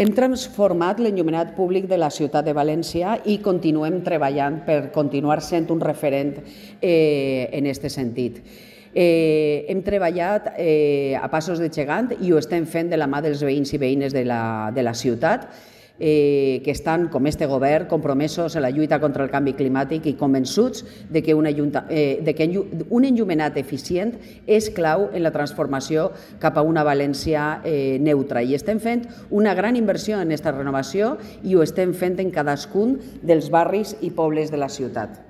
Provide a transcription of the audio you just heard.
Hem transformat l'enllumenat públic de la ciutat de València i continuem treballant per continuar sent un referent en aquest sentit. Hem treballat a passos de gegant i ho estem fent de la mà dels veïns i veïnes de la ciutat, que estan, com este govern, compromesos en la lluita contra el canvi climàtic i convençuts de que un enllumenat eficient és clau en la transformació cap a una València neutra. I estem fent una gran inversió en aquesta renovació i ho estem fent en cadascun dels barris i pobles de la ciutat.